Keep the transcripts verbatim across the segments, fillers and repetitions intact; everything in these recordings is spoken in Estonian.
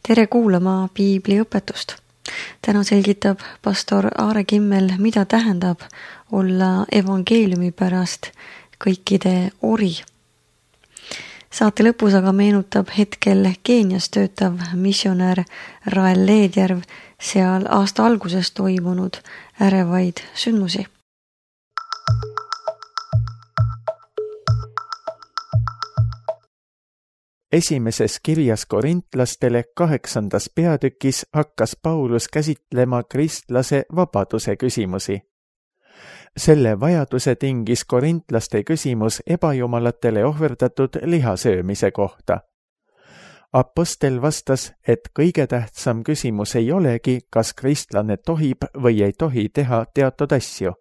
Tere kuulama piibliõpetust. Täna selgitab pastor Aare Kimmel, mida tähendab olla evangeeliumi pärast kõikide ori. Saate lõpus aga meenutab hetkel Keenias töötav missionär Rael Leedjärv seal aasta alguses toimunud ärevaid sündmusi. Esimeses kirjas korintlastele kaheksandas peatükis hakkas Paulus käsitlema kristlase vabaduse küsimusi. Selle vajaduse tingis korintlaste küsimus ebajumalatele ohverdatud lihasöömise kohta. Apostel vastas, et kõige tähtsam küsimus ei olegi, kas kristlane tohib või ei tohi teha teatud asju.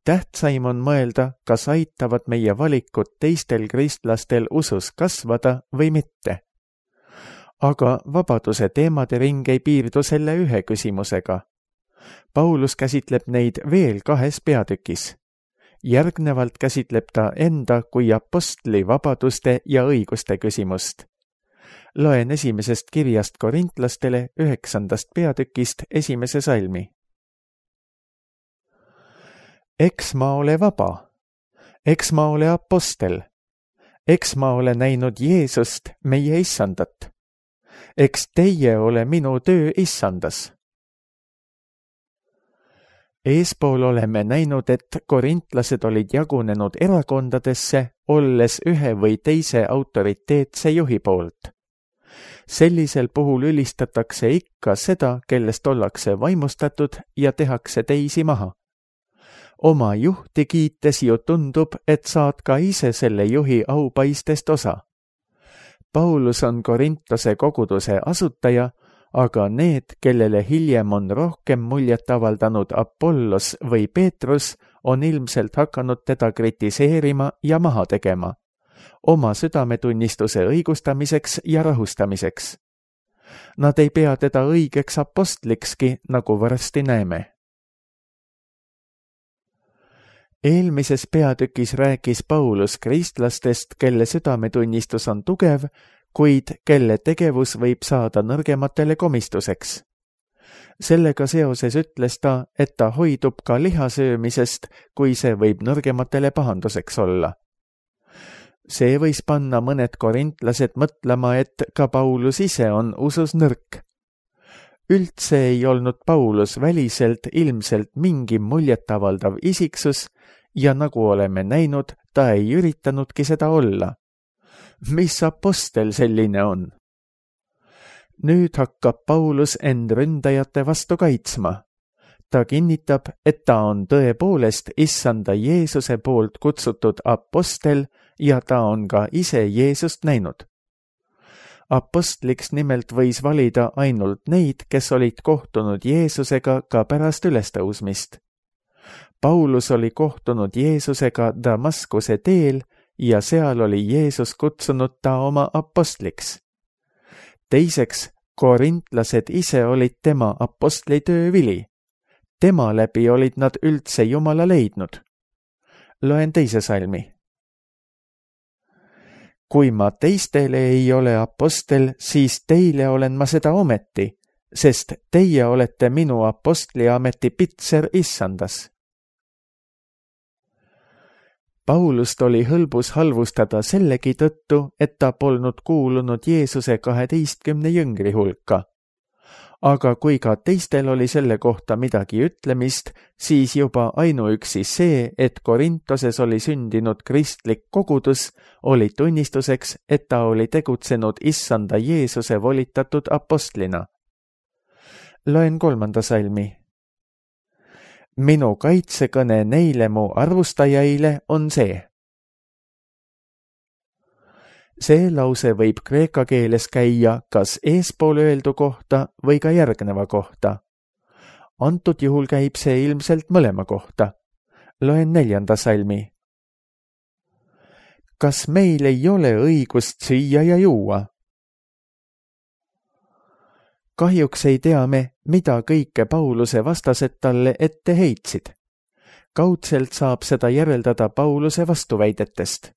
Tähtsaim on mõelda, kas aitavad meie valikud teistel kristlastel usus kasvada või mitte. Aga vabaduse teemade ring ei piirdu selle ühe küsimusega. Paulus käsitleb neid veel kahes peatükis. Järgnevalt käsitleb ta enda kui apostli vabaduste ja õiguste küsimust. Loen esimesest kirjast korintlastele üheksandast peatükist esimese salmi. Eks ma ole vaba, eks ma ole apostel, eks ma ole näinud Jeesust, meie issandat, eks teie ole minu töö issandas. Eespool oleme näinud, et korintlased olid jagunenud erakondadesse, olles ühe või teise autoriteetse juhi poolt. Sellisel puhul ülistatakse ikka seda, kellest ollakse vaimustatud ja tehakse teisi maha. Oma juhti kiites ju tundub, et saad ka ise selle juhi aupaistest osa. Paulus on Korintose koguduse asutaja, aga need, kellele hiljem on rohkem muljet avaldanud Apollos või Peetrus, on ilmselt hakanud teda kritiseerima ja maha tegema, oma südametunnistuse õigustamiseks ja rahustamiseks. Nad ei pea teda õigeks apostlikski, nagu varsti näeme. Eelmises peatükis rääkis Paulus kristlastest, kelle südametunnistus on tugev, kuid kelle tegevus võib saada nõrgematele komistuseks. Sellega seoses ütles ta, et ta hoidub ka lihasöömisest, kui see võib nõrgematele pahanduseks olla. See võis panna mõned korintlased mõtlema, et ka Paulus ise on usus nõrk. Üldse ei olnud Paulus väliselt ilmselt mingi muljetavaldav isiksus, ja nagu oleme näinud, ta ei üritanudki seda olla. Mis apostel selline on? Nüüd hakkab Paulus end ründajate vastu kaitsma. Ta kinnitab, et ta on tõepoolest issanda Jeesuse poolt kutsutud apostel ja ta on ka ise Jeesust näinud. Apostliks nimelt võis valida ainult neid, kes olid kohtunud Jeesusega ka pärast ülestõusmist. Paulus oli kohtunud Jeesusega Damaskuse teel ja seal oli Jeesus kutsunud ta oma apostliks. Teiseks, korintlased ise olid tema apostlitöö vili. Tema läbi olid nad üldse Jumala leidnud. Loen teise salmi. Kui ma teistele ei ole apostel, siis teile olen ma seda ometi, sest teie olete minu apostliameti pitser issandas. Paulust oli hõlbus halvustada sellegi tõttu, et ta polnud kuulunud Jeesuse kaheteistkümne jüngri hulka. Aga kui ka teistel oli selle kohta midagi ütlemist, siis juba ainuüksi see, et Korintoses oli sündinud kristlik kogudus, oli tunnistuseks, et ta oli tegutsenud issanda Jeesuse volitatud apostlina. Loen kolmanda salmi. Minu kaitsekõne neile mu arvustajaile on see. See lause võib kreeka keeles käia kas eespool öeldu kohta või ka järgneva kohta. Antud juhul käib see ilmselt mõlema kohta. Loen neljanda salmi. Kas meil ei ole õigust süüa ja juua? Kahjuks ei tea me, mida kõike Pauluse vastased talle ette heitsid. Kaudselt saab seda järeldada Pauluse vastuväidetest.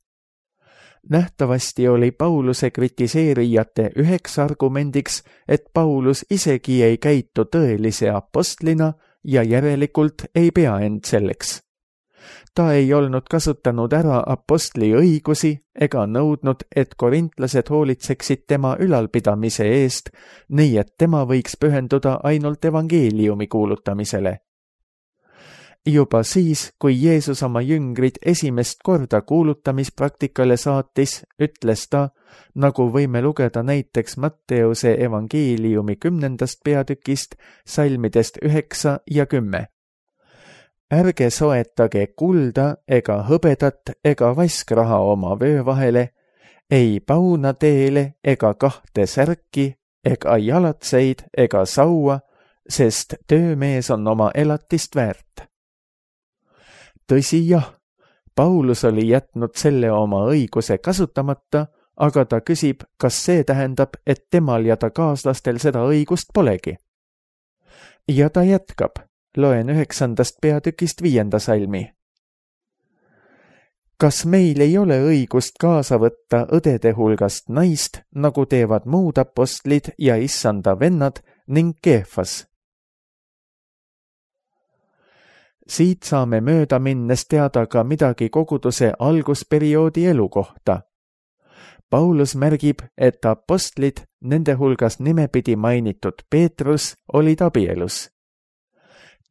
nähtavasti oli Pauluse kritiseerijate üheks argumendiks, et Paulus isegi ei käitu tõelise apostlina ja järelikult ei pea end selleks. Ta ei olnud kasutanud ära apostli õigusi ega nõudnud, et korintlased hoolitseksid tema ülalpidamise eest, nii et tema võiks pühenduda ainult evangeeliumi kuulutamisele. Juba siis, kui Jeesus oma jüngrid esimest korda kuulutamispraktikale saatis, ütles ta, nagu võime lugeda näiteks Matteuse evangeeliumi kümnendast peatükist, salmidest üheksa ja kümme. Ärge soetage kulda ega hõbedat ega vaskraha oma vöö vahele, ei pauna teele ega kahte särki ega jalatseid ega saua, sest töömees on oma elatist väärt. Tõsi jah, Paulus oli jätnud selle oma õiguse kasutamata, aga ta küsib, kas see tähendab, et temal ja ta kaaslastel seda õigust polegi. Ja ta jätkab, loen üheksandast peatükist viienda salmi. Kas meil ei ole õigust kaasa võtta õdede hulgast naist, nagu teevad muud apostlid ja issanda vennad ning Keefas? Siit saame mööda minnes teada ka midagi koguduse algusperioodi elu kohta. Paulus märgib, et apostlid, nende hulgas nimepidi mainitud Peetrus, olid abielus.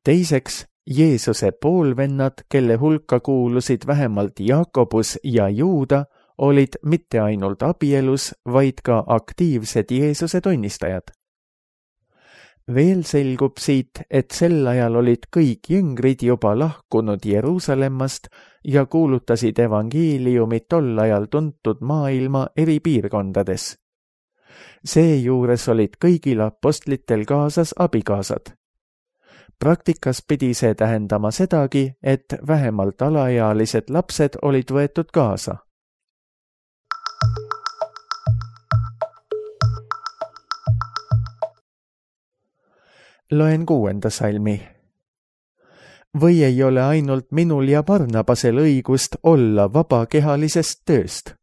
Teiseks, Jeesuse poolvennad, kelle hulka kuulusid vähemalt Jaakobus ja Juuda, olid mitte ainult abielus, vaid ka aktiivsed Jeesuse tunnistajad. Veel selgub siit, et sel ajal olid kõik jüngrid juba lahkunud Jeruusalemmast ja kuulutasid evangeeliumi tol ajal tuntud maailma eri piirkondades. Seejuures olid kõigil apostlitel kaasas abikaasad. Praktikas pidi see tähendama sedagi, et vähemalt alaealised lapsed olid võetud kaasa. Loen kuuenda salmi. Või ei ole ainult minul ja Barnabasel õigust olla vabakehalisest tööst?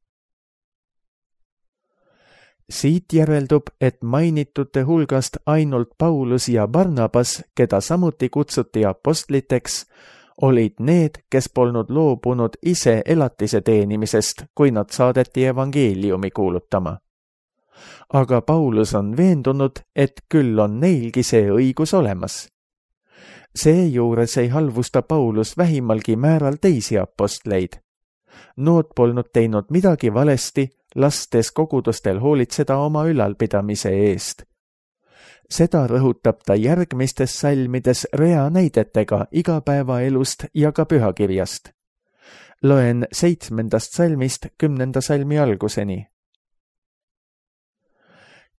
Siit järeldub, et mainitute hulgast ainult Paulus ja Barnabas, keda samuti kutsuti apostliteks, olid need, kes polnud loobunud ise elatise teenimisest, kui nad saadeti evangeeliumi kuulutama. Aga Paulus on veendunud, et küll on neilgi see õigus olemas. Seejuures ei halvusta Paulus vähimalgi määral teisi apostleid. Nood polnud teinud midagi valesti, lastes kogudustel hoolitseda oma ülalpidamise eest. Seda rõhutab ta järgmistes salmides rea näidetega igapäevaelust ja ka pühakirjast. Loen seitsmendast salmist kümnenda salmi alguseni.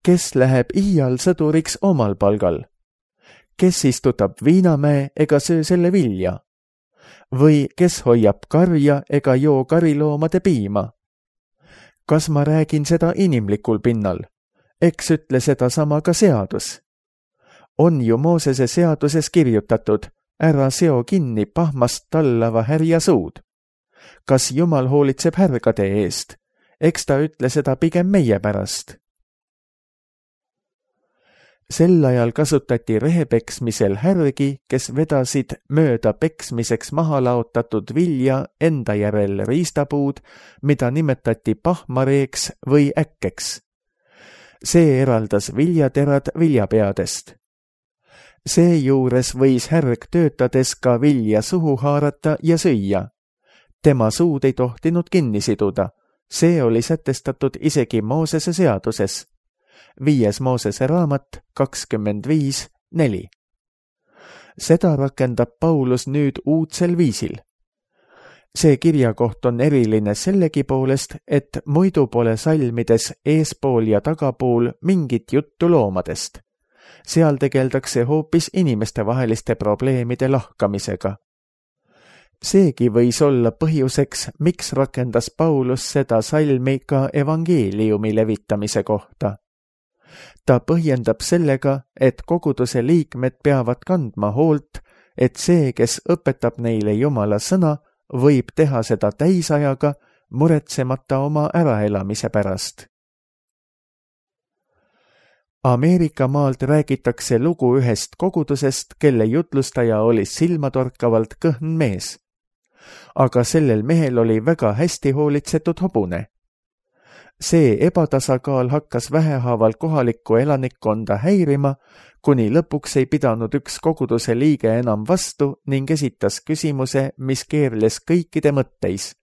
Kes läheb iial sõduriks omal palgal? Kes istutab viinamäe ega söö selle vilja? Või kes hoiab karja ega joo kariloomade piima? Kas ma räägin seda inimlikul pinnal? Eks ütle seda sama ka seadus. On ju Moosese seaduses kirjutatud, ära seo kinni pahmast tallava härja suud. Kas Jumal hoolitseb härgade eest? Eks ta ütle seda pigem meie pärast. Sel ajal kasutati rehepeksmisel härgi, kes vedasid mööda peksmiseks maha laotatud vilja enda järel riistapuud, mida nimetati pahmareeks või äkkeks. See eraldas viljaterad viljapeadest. Seejuures võis härg töötades ka vilja suhu haarata ja süüa. Tema suud ei tohtinud kinni siduda. See oli sätestatud isegi Moosese seaduses. Viies Moosese raamat kakskümmend viis neli. Seda rakendab Paulus nüüd uudsel viisil. See kirjakoht on eriline sellegi poolest, et muidu pole salmides eespool ja tagapool mingit juttu loomadest. Seal tegeldakse hoopis inimestevaheliste probleemide lahkamisega. Seegi võis olla põhjuseks, miks rakendas Paulus seda salmi ka evangeeliumi levitamise kohta. Ta põhjendab sellega, et koguduse liikmed peavad kandma hoolt, et see, kes õpetab neile Jumala sõna, võib teha seda täisajaga, muretsemata oma äraelamise pärast. Ameerika maalt räägitakse lugu ühest kogudusest, kelle jutlustaja oli silmatorkavalt kõhn mees. Aga sellel mehel oli väga hästi hoolitsetud hobune. See ebatasakaal hakkas vähehaaval kohalikku elanikkonda häirima, kuni lõpuks ei pidanud üks koguduse liige enam vastu ning esitas küsimuse, mis keerles kõikide mõtteis.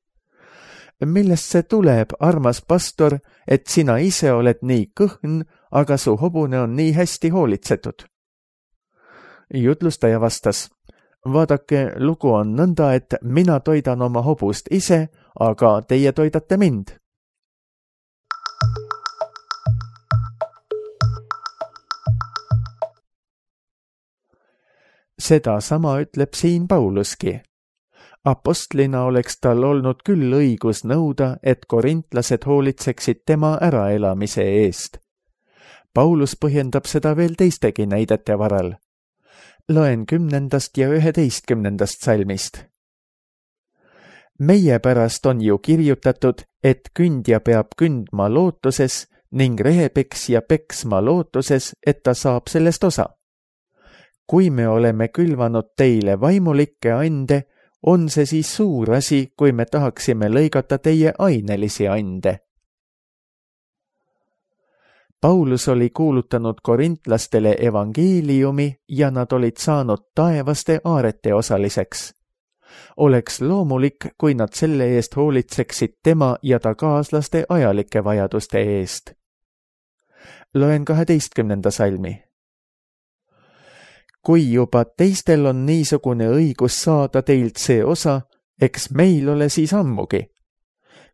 Millest see tuleb, armas pastor, et sina ise oled nii kõhn, aga su hobune on nii hästi hoolitsetud? Jutlustaja vastas, vaadake, lugu on nõnda, et mina toidan oma hobust ise, aga teie toidate mind. Seda sama ütleb siin Pauluski. Apostlina oleks tal olnud küll õigus nõuda, et korintlased hoolitseksid tema äraelamise eest. Paulus põhjendab seda veel teistegi näidete varal. Loen kümnendast ja üheteistkümnendast salmist. Meie pärast on ju kirjutatud, et kündja peab kündma lootuses ning rehepeksja peksma lootuses, et ta saab sellest osa. Kui me oleme külvanud teile vaimulikke ande, on see siis suur asi, kui me tahaksime lõigata teie ainelisi ande. Paulus oli kuulutanud korintlastele evangeeliumi ja nad olid saanud taevaste aarete osaliseks. Oleks loomulik, kui nad selle eest hoolitseksid tema ja ta kaaslaste ajalike vajaduste eest. Loen kaheteistkümnenda salmi. Kui juba teistel on niisugune õigus saada teilt see osa, eks meil ole siis ammugi.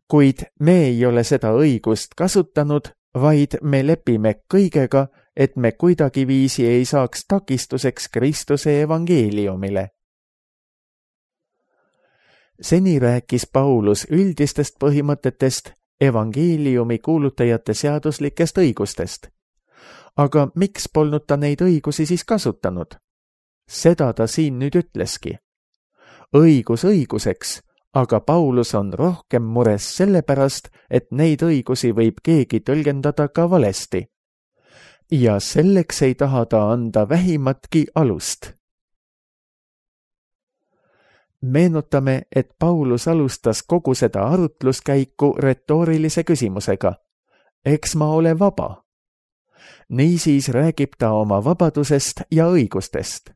Kuid me ei ole seda õigust kasutanud, vaid me lepime kõigega, et me kuidagiviisi ei saaks takistuseks Kristuse evangeeliumile. Seni rääkis Paulus üldistest põhimõtetest, evangeeliumi kuulutajate seaduslikest õigustest. Aga miks polnud ta neid õigusi siis kasutanud? Seda ta siin nüüd ütleski. Õigus õiguseks, aga Paulus on rohkem mures sellepärast, et neid õigusi võib keegi tõlgendada ka valesti. Ja selleks ei taha ta anda vähimatki alust. Meenutame, et Paulus alustas kogu seda arutluskäiku retoorilise küsimusega. Eks ma ole vaba? Niisiis räägib ta oma vabadusest ja õigustest.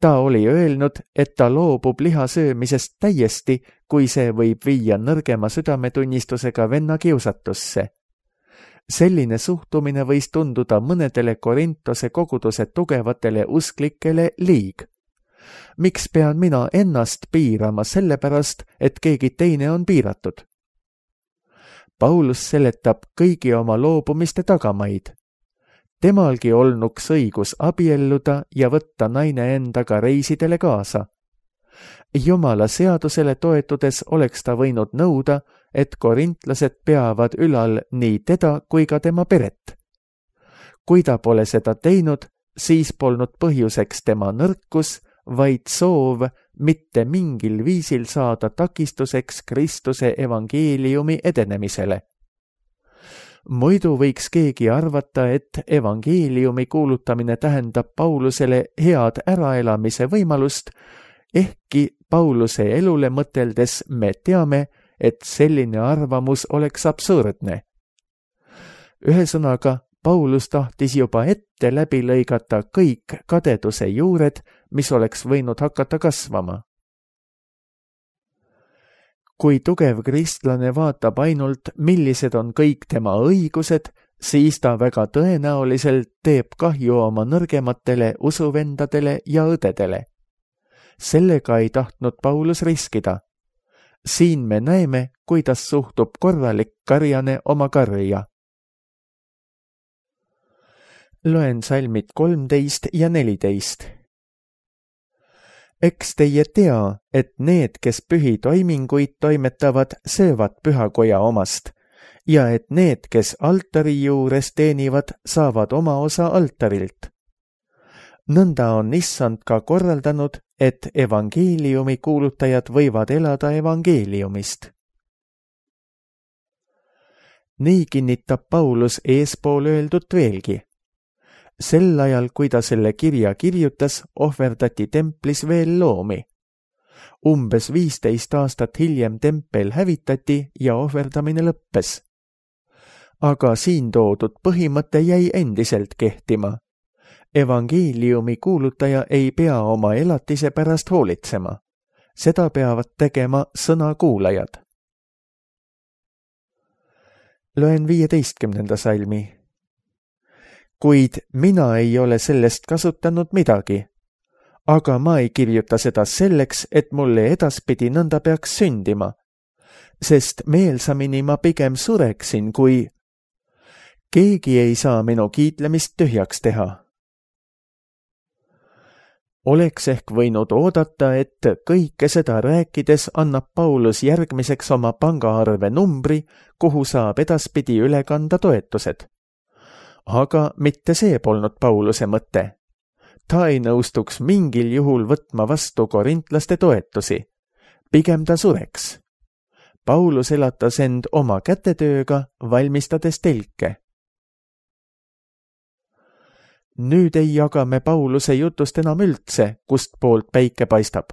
Ta oli öelnud, et ta loobub liha söömisest täiesti, kui see võib viia nõrgema südametunnistusega venna kiusatusse. Selline suhtumine võis tunduda mõnedele Korintose koguduse tugevatele usklikele liig. Miks pean mina ennast piirama sellepärast, et keegi teine on piiratud? Paulus seletab kõigi oma loobumiste tagamaid. Temalgi olnuks õigus abielluda ja võtta naine endaga reisidele kaasa. Jumala seadusele toetudes oleks ta võinud nõuda, et korintlased peavad ülal nii teda kui ka tema peret. Kui ta pole seda teinud, siis polnud põhjuseks tema nõrkus, vaid soov mitte mingil viisil saada takistuseks Kristuse evangeeliumi edenemisele. Muidu võiks keegi arvata, et evangeeliumi kuulutamine tähendab Paulusele head äraelamise võimalust, ehkki Pauluse elule mõteldes me teame, et selline arvamus oleks absurdne. Ühesõnaga, Paulus tahtis juba ette läbi lõigata kõik kadeduse juured, mis oleks võinud hakata kasvama. Kui tugev kristlane vaatab ainult, millised on kõik tema õigused, siis ta väga tõenäoliselt teeb kahju oma nõrgematele usuvendadele ja õdedele. Sellega ei tahtnud Paulus riskida. Siin me näeme, kuidas suhtub korralik karjane oma karja. Loen salmid kolmteist ja neliteist. Eks teie tea, et need, kes pühi toiminguid toimetavad, söövad pühakoja omast, ja et need, kes altari juures teenivad, saavad oma osa altarilt. Nõnda on issand ka korraldanud, et evangeeliumi kuulutajad võivad elada evangeeliumist. Nii kinnitab Paulus eespool öeldut veelgi. Sel ajal, kui ta selle kirja kirjutas, ohverdati templis veel loomi. Umbes viisteist aastat hiljem tempel hävitati ja ohverdamine lõppes. Aga siin toodud põhimõte jäi endiselt kehtima. Evangeeliumi kuulutaja ei pea oma elatise pärast hoolitsema. Seda peavad tegema sõna kuulajad. Loen viieteistkümnenda salmi. Kuid mina ei ole sellest kasutanud midagi, aga ma ei kirjuta seda selleks, et mulle edaspidi nõnda peaks sündima, sest meelsamini ma pigem sureksin, kui keegi ei saa minu kiitlemist tühjaks teha. Oleks ehk võinud oodata, et kõike seda rääkides annab Paulus järgmiseks oma pangaarve numbri, kuhu saab edaspidi üle kanda toetused. Aga mitte see polnud Pauluse mõte. Ta ei nõustuks mingil juhul võtma vastu korintlaste toetusi. Pigem ta sureks. Paulus elatas end oma kätetööga, valmistades telke. Nüüd ei jaga me Pauluse jutust enam üldse, kust poolt päike paistab.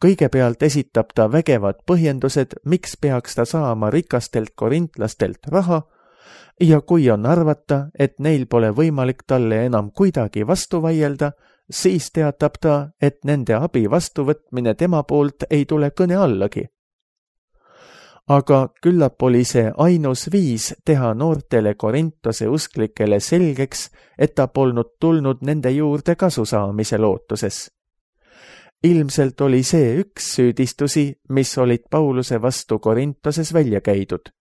Kõigepealt esitab ta vägevad põhjendused, miks peaks ta saama rikastelt korintlastelt raha, ja kui on arvata, et neil pole võimalik talle enam kuidagi vastu vaielda, siis teatab ta, et nende abi vastuvõtmine tema poolt ei tule kõne allagi. Aga küllap oli see ainus viis teha noortele Korintose usklikele selgeks, et ta polnud tulnud nende juurde kasu saamise lootuses. Ilmselt oli see üks süüdistusi, mis olid Pauluse vastu Korintoses välja käidud.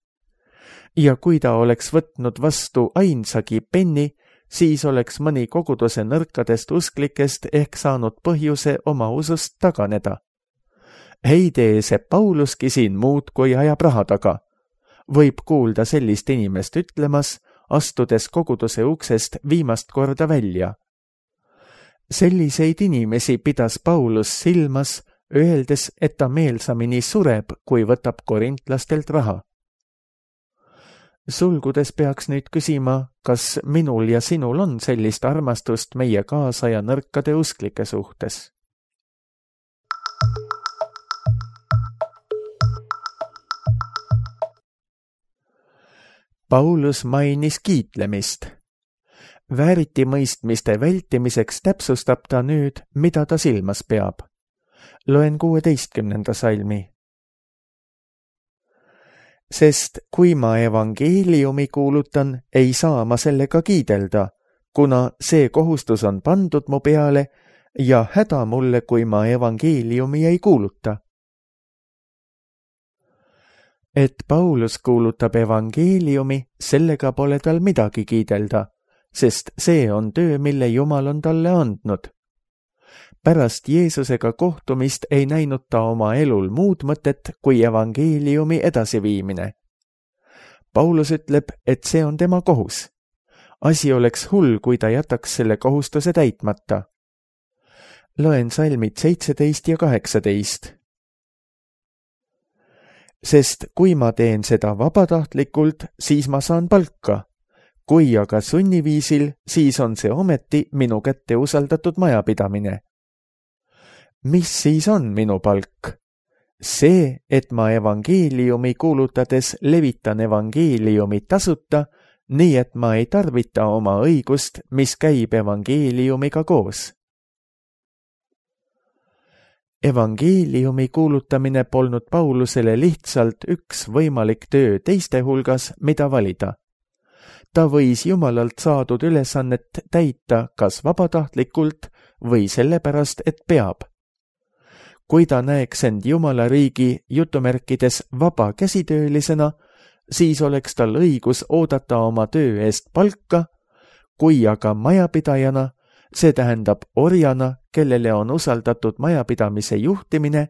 Ja kui ta oleks võtnud vastu ainsagi penni, siis oleks mõni koguduse nõrkadest usklikest ehk saanud põhjuse oma usust taganeda. Ei tee see Pauluski siin muud, kui ajab raha taga. Võib kuulda sellist inimest ütlemas, astudes koguduse uksest viimast korda välja. Selliseid inimesi pidas Paulus silmas, öeldes, et ta meelsamini sureb, kui võtab korintlastelt raha. Sulgudes peaks nüüd küsima, kas minul ja sinul on sellist armastust meie kaasaja nõrkade usklike suhtes. Paulus mainis kiitlemist. Vääritimõistmiste vältimiseks täpsustab ta nüüd, mida ta silmas peab. Loen kuueteistkümnenda salmi. Sest kui ma evangeeliumi kuulutan, ei saa ma sellega kiidelda, kuna see kohustus on pandud mu peale ja häda mulle, kui ma evangeeliumi ei kuuluta. Et Paulus kuulutab evangeeliumi, sellega pole tal midagi kiidelda, sest see on töö, mille Jumal on talle andnud. Pärast Jeesusega kohtumist ei näinud ta oma elul muud mõtet kui evangeeliumi edasiviimine. Paulus ütleb, et see on tema kohus. Asi oleks hull, kui ta jätaks selle kohustuse täitmata. Loen salmid seitseteist ja kaheksateist. Sest kui ma teen seda vabatahtlikult, siis ma saan palka. Kui aga sunniviisil, siis on see ometi minu kätte usaldatud majapidamine. Mis siis on minu palk? See, et ma evangeeliumi kuulutades levitan evangeeliumi tasuta, nii et ma ei tarvita oma õigust, mis käib evangeeliumiga koos. Evangeeliumi kuulutamine polnud Paulusele lihtsalt üks võimalik töö teiste hulgas, mida valida. Ta võis Jumalalt saadud ülesannet täita kas vabatahtlikult või sellepärast, et peab. Kui ta näeks end Jumala riigi jutumärkides vaba käsitöölisena, siis oleks tal õigus oodata oma töö eest palka, kui aga majapidajana, see tähendab orjana, kellele on usaldatud majapidamise juhtimine,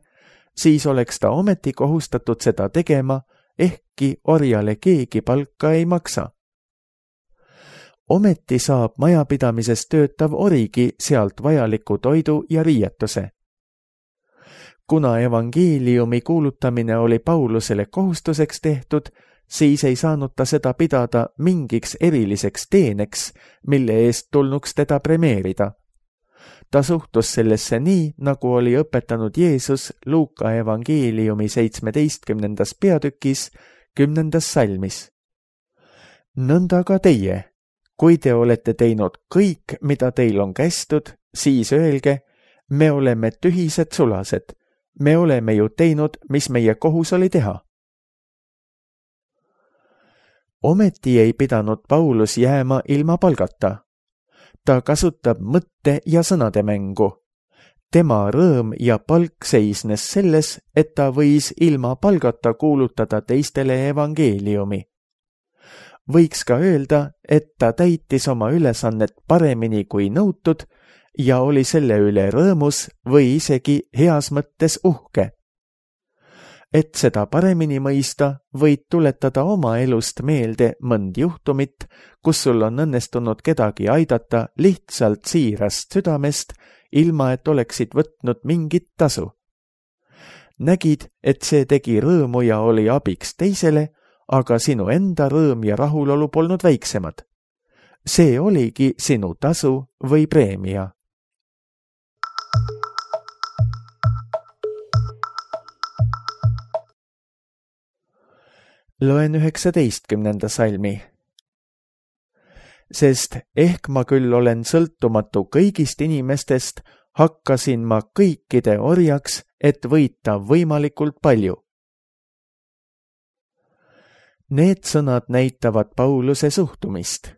siis oleks ta ometi kohustatud seda tegema, ehkki orjale keegi palka ei maksa. Ometi saab majapidamises töötav origi sealt vajaliku toidu ja riietuse. Kuna evangeeliumi kuulutamine oli Paulusele kohustuseks tehtud, siis ei saanud ta seda pidada mingiks eriliseks teeneks, mille eest tulnuks teda premeerida. Ta suhtus sellesse nii, nagu oli õpetanud Jeesus Luuka evangeeliumi seitsmeteistkümnendas peatükis, kümnendas salmis. Nõnda ka teie, kui te olete teinud kõik, mida teil on kästud, siis öelge, me oleme tühised sulased, me oleme ju teinud, mis meie kohus oli teha. Ometi ei pidanud Paulus jääma ilma palgata. Ta kasutab mõtte ja sõnade mängu. Tema rõõm ja palk seisnes selles, et ta võis ilma palgata kuulutada teistele evangeeliumi. Võiks ka öelda, et ta täitis oma ülesannet paremini kui nõutud ja oli selle üle rõõmus või isegi heas mõttes uhke. Et seda paremini mõista, võid tuletada oma elust meelde mõnd juhtumit, kus sul on õnnestunud kedagi aidata lihtsalt siirast südamest, ilma et oleksid võtnud mingit tasu. Nägid, et see tegi rõõmu ja oli abiks teisele, aga sinu enda rõõm ja rahulolu polnud väiksemad. See oligi sinu tasu või preemia. Loen üheksateistkümnenda salmi. Sest ehk ma küll olen sõltumatu kõigist inimestest, hakkasin ma kõikide orjaks, et võita võimalikult palju. Need sõnad näitavad Pauluse suhtumist.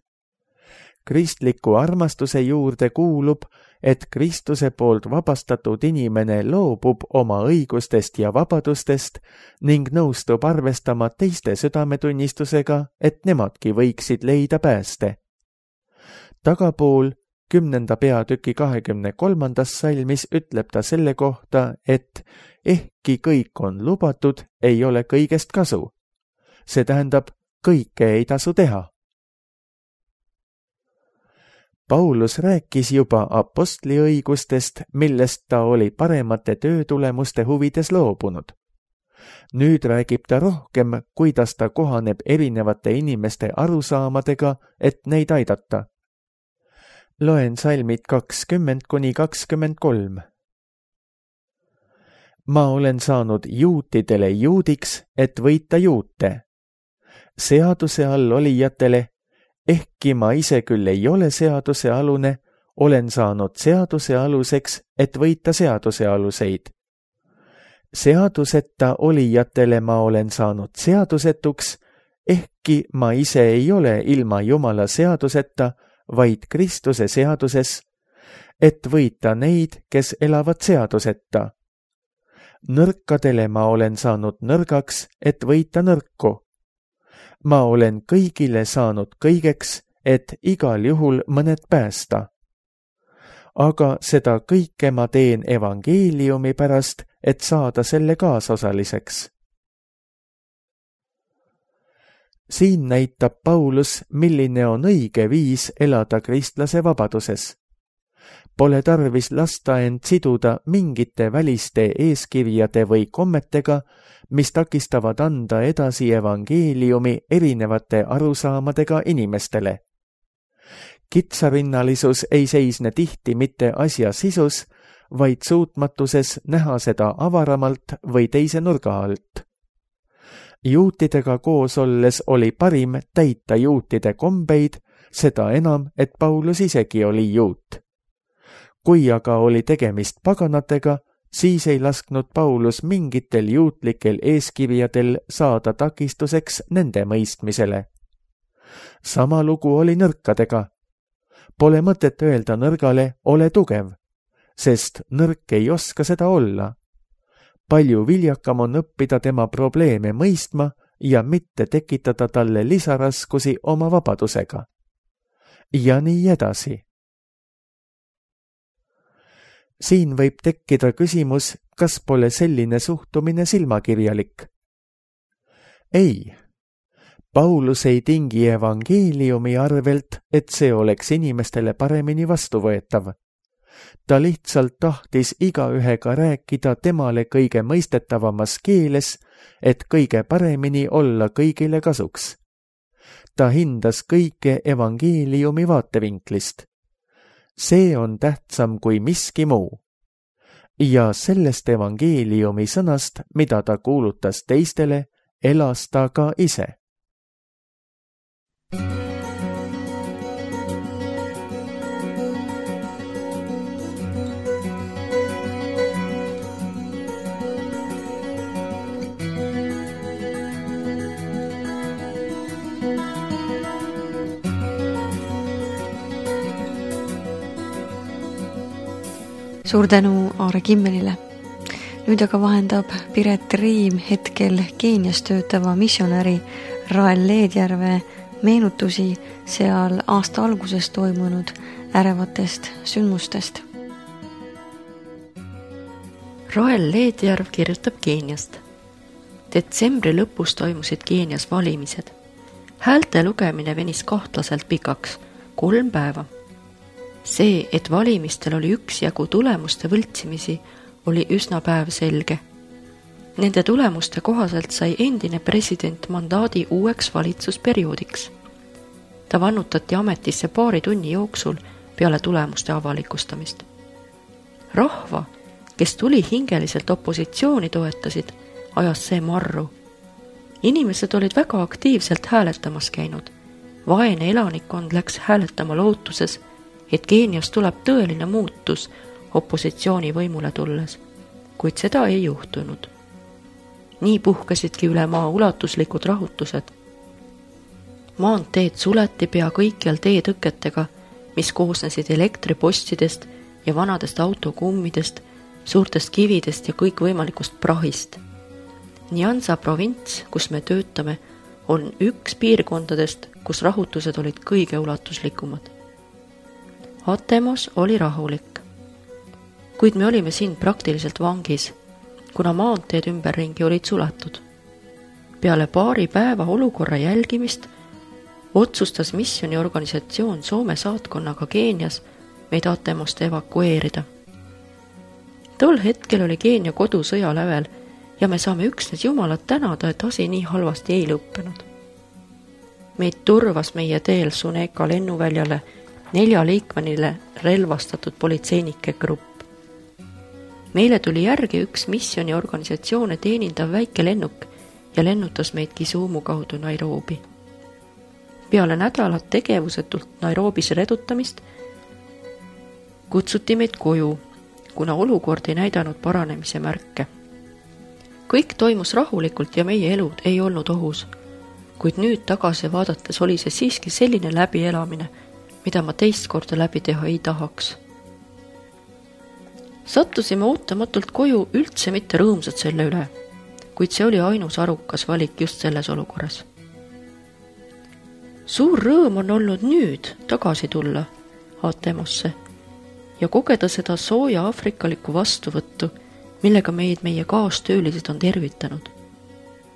Kristliku armastuse juurde kuulub, et Kristuse poolt vabastatud inimene loobub oma õigustest ja vabadustest ning nõustub arvestama teiste südametunnistusega, et nemadki võiksid leida pääste. Tagapool kümnenda peatüki kahekümne kolmandas salmis ütleb ta selle kohta, et ehkki kõik on lubatud, ei ole kõigest kasu. See tähendab, kõike ei tasu teha. Paulus rääkis juba apostliõigustest, millest ta oli paremate töötulemuste huvides loobunud. Nüüd räägib ta rohkem, kuidas ta kohaneb erinevate inimeste arusaamadega, et neid aidata. Loen salmid kakskümmend kuni kakskümmend kolm. Ma olen saanud juutidele juudiks, et võita juute. Seaduse all olijatele, ehkki ma ise küll ei ole seaduse alune, olen saanud seaduse aluseks, et võita seaduse aluseid. Seaduseta olijatele ma olen saanud seadusetuks, ehkki ma ise ei ole ilma Jumala seaduseta, vaid Kristuse seaduses, et võita neid, kes elavad seaduseta. Nõrkadele ma olen saanud nõrgaks, et võita nõrku. Ma olen kõigile saanud kõigeks, et igal juhul mõned päästa. Aga seda kõike ma teen evangeeliumi pärast, et saada selle kaasosaliseks. Siin näitab Paulus, milline on õige viis elada kristlase vabaduses. Pole tarvis lasta end siduda mingite väliste eeskirjade või kommetega, mis takistavad anda edasi evangeeliumi erinevate arusaamadega inimestele. Kitsarinnalisus ei seisne tihti mitte asja sisus, vaid suutmatuses näha seda avaramalt või teise nurga alt. Juutidega koos olles oli parim täita juutide kombeid, seda enam, et Paulus isegi oli juut. Kui aga oli tegemist paganatega, siis ei lasknud Paulus mingitel juutlikel eeskirjadel saada takistuseks nende mõistmisele. Sama lugu oli nõrkadega. Pole mõtet öelda nõrgale, ole tugev, sest nõrk ei oska seda olla. Palju viljakam on õppida tema probleeme mõistma ja mitte tekitada talle lisaraskusi oma vabadusega. Ja nii edasi. Siin võib tekkida küsimus, kas pole selline suhtumine silmakirjalik. Ei, Paulus ei tingi evangeeliumi arvelt, et see oleks inimestele paremini vastuvõetav. ta lihtsalt tahtis igaühega rääkida temale kõige mõistetavamas keeles, et kõige paremini olla kõigile kasuks. Ta hindas kõike evangeeliumi vaatevinklist. See on tähtsam kui miski muu. Ja sellest evangeeliumi sõnast, mida ta kuulutas teistele, elas ta ka ise. Suur tänu Aare Kimmelile. Nüüd aga vahendab Piret Riim hetkel Keenias töötava missionäri Rael Leedjärve meenutusi seal aasta alguses toimunud ärevatest sündmustest. Rael Leedjärv kirjutab Keeniast. Detsembri lõpus toimusid Keenias valimised. Häälte lugemine venis kahtlaselt pikaks, kolm päeva. See, et valimistel oli üksjagu tulemuste võltsimisi, oli üsna päev selge. Nende tulemuste kohaselt sai endine president mandaadi uueks valitsusperioodiks. Ta vannutati ametisse paari tunni jooksul peale tulemuste avalikustamist. Rahva, kes tuli hingeliselt opositsiooni toetasid, ajas see marru. Inimesed olid väga aktiivselt hääletamas käinud. Vaene elanikkond läks hääletama lootuses, et Keenias tuleb tõeline muutus opositsiooni võimule tulles, kuid seda ei juhtunud. Nii puhkasidki üle maa ulatuslikud rahutused. Maanteed suleti pea kõikjal teetõketega, mis koosnesid elektripostidest ja vanadest autokummidest, suurtest kividest ja kõikvõimalikust prahist. Nyanza provints, kus me töötame, on üks piirkondadest, kus rahutused olid kõige ulatuslikumad. Atemos oli rahulik, kuid me olime siin praktiliselt vangis, kuna maanteed ümberringi olid suletud. Peale paari päeva olukorra jälgimist otsustas missioniorganisatsioon Soome saatkonnaga Keenias meid Atemost evakueerida. Tol hetkel oli Keenia kodu sõja lävel ja me saame üksnes Jumalat tänada, et asi nii halvasti ei lõppenud. Meid turvas meie teel Suneka lennuväljale neljaliikmenile relvastatud politseinike grupp. Meile tuli järgi üks missioniorganisatsioone teenindav väike lennuk ja lennutas meid Kisumu kaudu Nairobi. Peale nädalat tegevusetult Nairobis redutamist kutsuti meid koju, kuna olukord ei näidanud paranemise märke. Kõik toimus rahulikult ja meie elud ei olnud ohus, kuid nüüd tagasi vaadates oli see siiski selline läbielamine, mida ma teist korda läbi teha ei tahaks. Sattusime ootamatult koju üldse mitte rõõmsad selle üle, kuid see oli ainus arukas valik just selles olukorras. Suur rõõm on olnud nüüd tagasi tulla Atemosse ja kogeda seda sooja afrikalikku vastuvõttu, millega meid meie kaastöölised on tervitanud.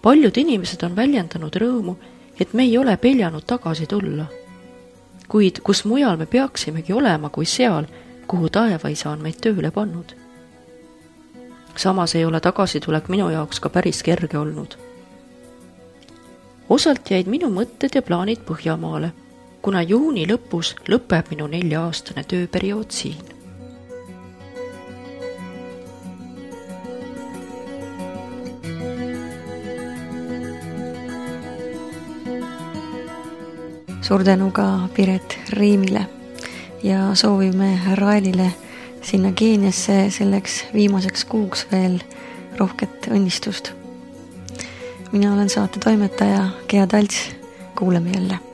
Paljud inimesed on väljendanud rõõmu, et me ei ole peljanud tagasi tulla. Kuid kus mujal me peaksimegi olema kui seal, kuhu taevaisa on meid tööle pannud. Samas ei ole tagasitulek minu jaoks ka päris kerge olnud. Osalt jäid minu mõtted ja plaanid Põhjamaale, kuna juuni lõpus lõpeb minu nelja-aastane tööperiood siin. Suur tänu ka Piret Riimile ja soovime Raelile sinna Keeniasse selleks viimaseks kuuks veel rohket õnnistust. Mina olen saate toimetaja Gea Talts, kuuleme jälle.